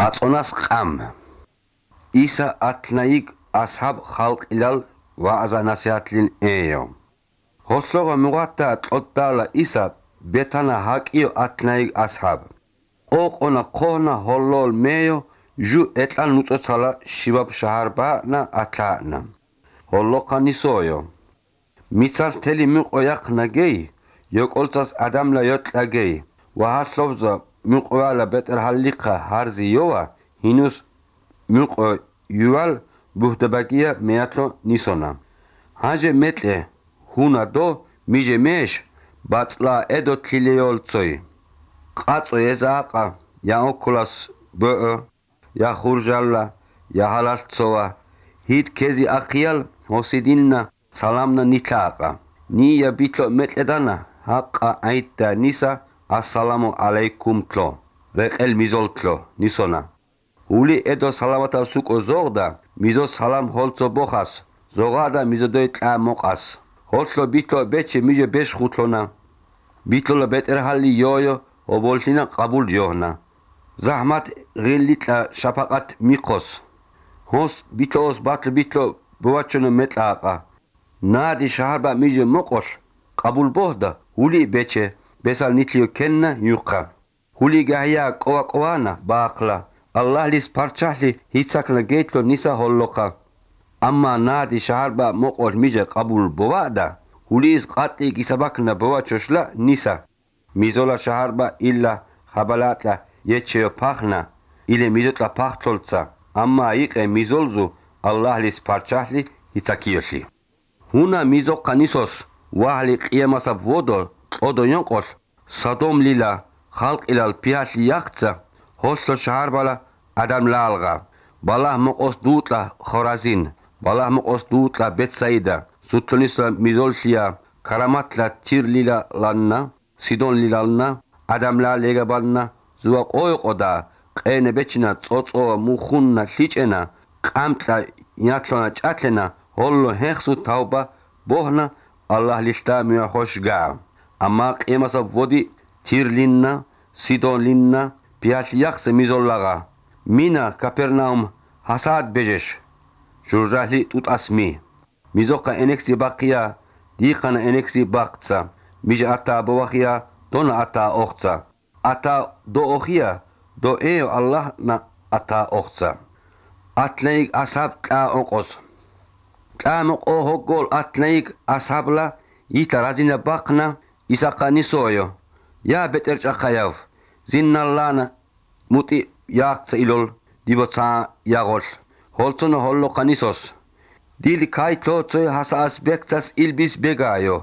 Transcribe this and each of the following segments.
აწონას ყამ ისა ათნაიგ ასჰაბ ხალყილალ ვააზა ნასიჰათლინ ეიო ჰოსლოგა მუღატა ტოტალა ისა ბეთანა ჰაკიო ათნაიგ ასჰაბ ოყონა ყონა ჰოლოლ მეიო ჟუ ეტან ნუწოცალა შიბაბ შაჰარბა ნა ათანა ჰოლოყანისოიო მიცალ თელი მიყო იახნა გეი იოკოლცას ადამლა იოტლაგეი ვაჰასლობზა მიყოალა ბეტერ ჰალიხა ჰარზი იოა ჰინუს მიყო იუალ ბუჰდებაგია მეათლო ნისონა ჰაჯე მეტლე ჰუნა დო მიჯე მეშ ბაწლა ედო თილეოლცოი ყაწო ეზაყა იაოქოლას ბო ია ხურჟალა ია ჰალალცოა ჰით ქეზი აყიალ ჰოსიდინნა სალამნა ნითაყა ნია ბიტლო მეტლედანა ჰაყა აიტა ნისა ასალამუ ალეიკუმ თლო რეყელ მიზოლთლო ნისონა ული ედო სალამათა სუკო ზოღდა მიზო სალამ ჰოლცო ბოხას ზოღადა მიზოდოი ტა მოყას ჰოლცლო ბიტლო ბეჩე მიჯე ბეშ ხუთლონა ბიტლო ბეტერჰალი იოიო ობოლშინა ყაბულ იონა ზაჰმათ ღილიტა შაფაყათ მიყოს ჰოს ბიტლოს ბატლ ბიტლო ბოვაჩონო მეტაყა ნადი შაჰარბა მიჯე მოყოს ყაბულ ბოხდა ული ბეჩე ბესალ ნიტლიო კენნა იუყა ული გაია ყოა ყოანა ბაყლა ალლაჰლის პარჩაჰლი ჰიცაკლა გეიტლო ნისა ჰოლლოყა ამა ნადი შაჰარბა მოყოს მიჯე ყაბულ ბოვადა ულის ყატი გისაბაკნა ბოვაჩოშლა ნისა მიზოლა შაჰარბა ილლა ხაბალატა ეჩეო ფახნა ილე მიზოტლა ფახთოლცა ამა იყე მიზოლზუ ალლაჰლის პარჩაჰლი ჰიცაკიოში ჰუნა მიზოყა ნისოს ვაჰლი ყიამასა ვოდო ყოდო යონყოს სადომ ლილა ხალყილალ პიაჰლი იახცა ჰოსლო შაჰარბალა ადამლალღა ბალაჰ მოყოს დუტლა ხორაზინ ბალაჰ მოყოს დუტლა ბეტსაიდა სუთლისლა მიზოლშია კარამატლა თირლილა ლანნა სიდონ ლილალნა ადამლა ლეგაბანნა ზუა ყოიყოდა ყენე ბეჩინა წოწო მუხუნნა ლიჭენა ყამტლა იათლონა ჭათლენა ჰოლლო ჰეხსუ თაუბა ბოჰნა ალლაჰ ლიშტა მიახოშგა ამა ყემასა ვოდი თირლინნა სიდონ ლინნა პიალიახსე მიზოლლაღა მინა კაპერნაუმ ჰასად ბეჟეშ ჟურჟაჰლი ტუტასმი მიზოყა ენექსი ბაყია დიხანა ენექსი ბაყცა მიჟ ატა ბოვახია დონა ატა ოხცა ატა დო ოხია დო ეო ალლაჰ ნა ატა ოხცა ატლეიგ ასაბ ყა ოყოს ყა მოყო ჰოგოლ ატლეიგ ასაბლა იტა რაზინა ბაყნა ისაყანისოიო ია ბეტერ ჭახაიავ ზინნალანა მუტი იახცა ილოლ დიბოცა იაღოლ ჰოლცონო ჰოლლოყანისოს დილი კაითლოცე ჰასას ბექცას ილბის ბეგაიო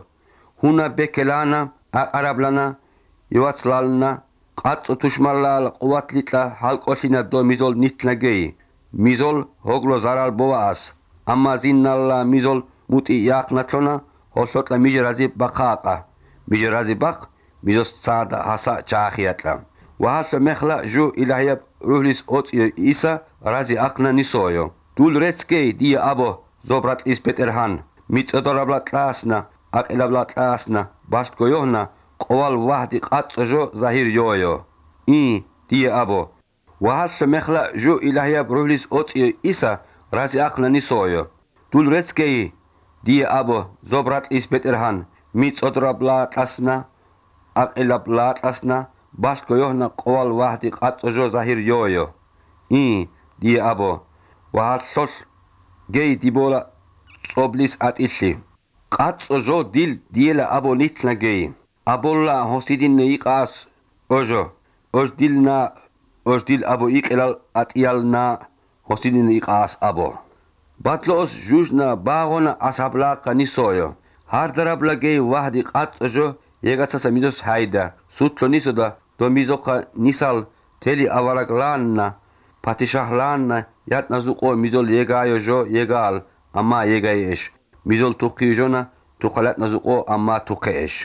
ჰუნა ბეკელანა აყარაბლანა ივაცლალნა ყაწო თუშმალალ ყუათლიტა ჰალყოშინა დო მიზოლ ნითნაგეი მიზოლ ჰოგლო ზარალ ბოას ამაზინალა მიზოლ მუტი იახნათლონა ჰოლსოტლა მიჯრაზი ბაყაყა მიჯრაზი ბაყ მიზოს წადა ჰასა ჩაახიატლა ვაჰს მეხლა ჟუ ილაჰია რუჰლის ოცი ისა რაზი აყნა ნისოიო დულ რეცკეი დი აბო ზობრატის პეტერჰან მიწოდორაბლა კლასნა აყილაბლა კლასნა ბაშტგოიონა ყოვალ ვაჰდი ყაწოჟო ზაჰირ იოიო ი დი აბო ვაჰს მეხლა ჟუ ილაჰია რუჰლის ოცი ისა რაზი აყნა ნისოიო დულ რეცკეი დი აბო ზობრატის პეტერჰან მიწოდორაბლა კლასნა აყილაბლა კლასნა ბაშტგოიონა ყოვალ ვაჰდი ყაწოჟო ზაჰირ იოიო ი დი აბო ვაჰსოს გეი დიბოლა წობლის ატილში ყაწოჟო დილ დიელა აბო ნითნა გეი აბოლა ჰოსიდინე იყას ოჟო ოჟდილნა ოჟდილ აბო იყელალ ატიალნა ჰოსიდინე იყას აბო ბატლოს ჟუჟნა ბაღონა ასაბლაყა ნისოიო ჰარდარაბლა გეი ვაჰდი ყაწოჟო ეგაცასა მიზოს ჰაიდა სუთლო ნისოდა დო მიზოყა ნისალ თელი ავარაკლანნა პატიშაჰლანნა იატნაზუყო მიზოლ ეგაიოჟო ეგალ ამა ეგაიეშ მიზოლ თუქიჟონა თუხალატნაზუყო ამა თუქეეშ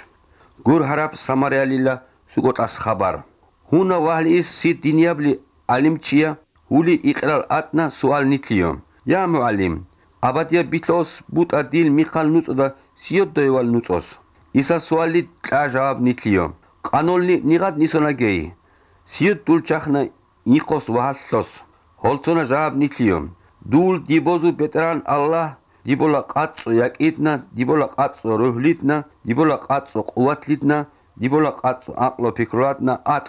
გურ ჰარაბ სამარეალილა სუგოტას ხაბარ ჰუნა ვაჰლი ის სიდინიაბლი ალიმჩია ული იყრალ ატნა სუალ ნიტლიო ია მუალიმ აბადია ბიტლოს ბუტა დილ მიხალ ნუწოდა სიოდოევალ ნუწოს ისა სუალი ტა ჟავაბ ნიტლიო ყანოლნი ნიღად ნისონაგეი სიოდ დულ ჩახნა იყოს ვაჰლოს ჰოლცონა ჟაბ ნითლიო დულ დიბოზუ ბეტერან ალლაჰ დიბოლა ყაწო იაკიდნა დიბოლა ყაწო როჰლიტნა დიბოლა ყაწო ყუათლიტნა დიბოლა ყაწო აყლო ფიქრატნა ატ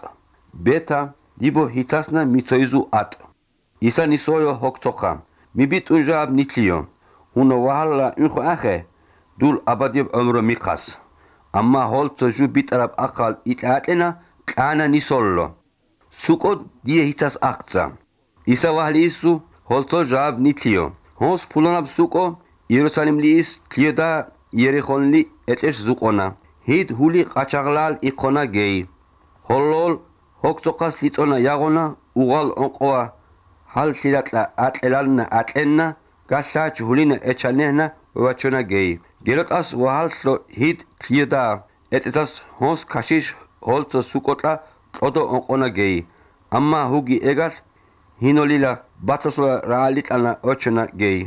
ბეთა დიბო ჰიცასნა მიცოიზუ ატ ისა ნისოյო ჰოქცოხა მიბიტუ ჟაბ ნითლიო უნო ვაჰლა ინხო ახე დულ აბადიებ ომრო მიყას ამა ჰოლცო ჟუ ბიტრაბ ახალ იტატენა ყანა ნისოლლო სუკო დიე ჰიცას აქცა ისა ვაჰლისუ ჰოლცო ჟაბ ნითლიო ჰოს ფულანაბ სუკო იერუსალიმლის ქლიოდა იერიხონლი ეტეშ ზუყონა ჰიდ ჰული ყაჩაღლალ იყონა გეი ჰოლოლ ჰოქცოყას ლიწონა იაღონა უღალ ონყვა ჰალ სილატლა ატელალნა ატენნა გაშაჩ ჰულინა ეჩანენა ვაჩონა გეი გეროტას ვაჰალსლო ჰიდ ქლიოდა ეტესას ჰოს ქაშიშ ჰოლცო სუკოტა ტოდო ონყონა გეი ამა ჰუგი ეგას ჰინოლილა ბათოსლა რაალიტანა ოჩონა გეი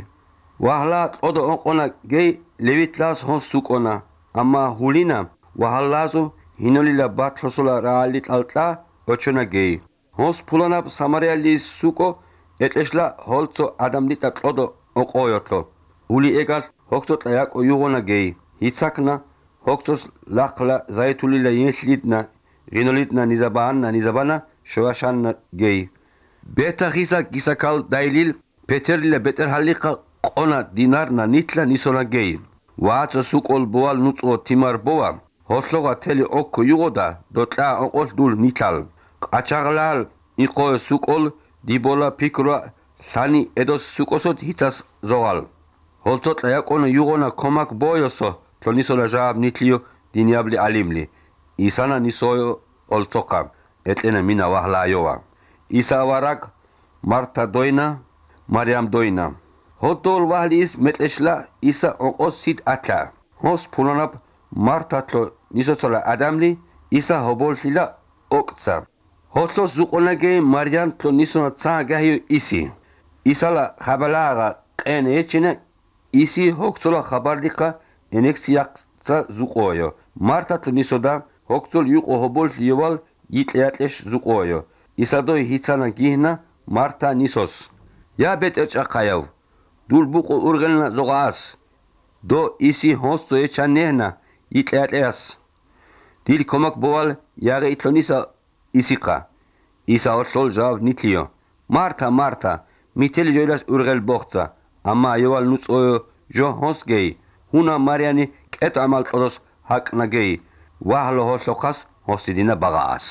ვაჰლა ტოდო ონყონა გეი ლევიტლას ჰოს სუკონა ამა ჰულინა ვაჰლაზო ჰინოლილა ბათოსლა რაალიტალტა ოჩონა გეი ჰოს ფულანაბ სამარიალის სუკო ეტეშლა ჰოლცო ადამლიტა ტოდო ონყოიოთლო ული ეგას ჰოქცოტა იაკო იუღონა გეი ჰიცაკნა ჰოქცოს ლახლა ზაითულილა ინშლიტნა ღინოლიტნა ნიზაბანა შოაშანა გეი ბეთა ხისა გისაკალ დაილილ პეტერლილა ბეტერჰალიხა ყონა დინარნა ნიტლა ნისონა გეი ვაცო სუკოლ ბოალ ნუწო თიმარ ბოა ჰოსლოღა თელი ოქო იუღოდა დოტლა ოყოლ დულ ნიტალ ყაჩაღლალ იყო სუკოლ დიბოლა ფიქრა სანი ედოს სუკოსოთ ჰიცას ზოღალ ჰოლცოტა იაკონო იუღონა კომაკ ბოიოსო თონისონა ჟაბ ნიტლიო დინიაბლი ალიმლი ისანა ნისოյო ოლცოყა ეტენა მინა ვაჰლაიოვა ისა ვარაკ მართა დოინა მარიამ დოინა ჰოდოლ ვაჰლის მეტეშლა ისა ოყოს სით ათლა ჰოს ფულანაბ მართათლო ნისოცოლა ადამლი ისა ჰობოლშილა ოქცა ჰოცლო ზუყონაგე მარიამ თლო ნისონა ცა გაჰიო ისი ისალა ხაბალაღა ყენე ეჩინა ისი ჰოქცოლა ხაბარდიხა ენექსიაცა ზუყოიო მართათლო ნისოდა ჰოქცოლ იყო ჰობოლშიოვალ იტლეატლეშ ზუყოიო ისადო ჰიცანა გიჰნა მართა ნისოს ია ბეტერჭაყაიავ დულბუყო ურგელნა ზოღას დო ისი ჰოსწო ეჩანენა იტლეატლეას დილ კომაკ ბოვალ იაღე იტლონისა ისიყა ისა ოსოლ ჟავ ნიტლიო მართა მითელი ჯოილას ურგელ ბოხცა ამა იოვალ ნუწოյო ჟო ჰოსგეი ჰუნა მარიანი კეტ ამალ ყოდოს ჰაკნა გეი ვაჰლო ჰოსოხას ჰოსიდინა ბაღას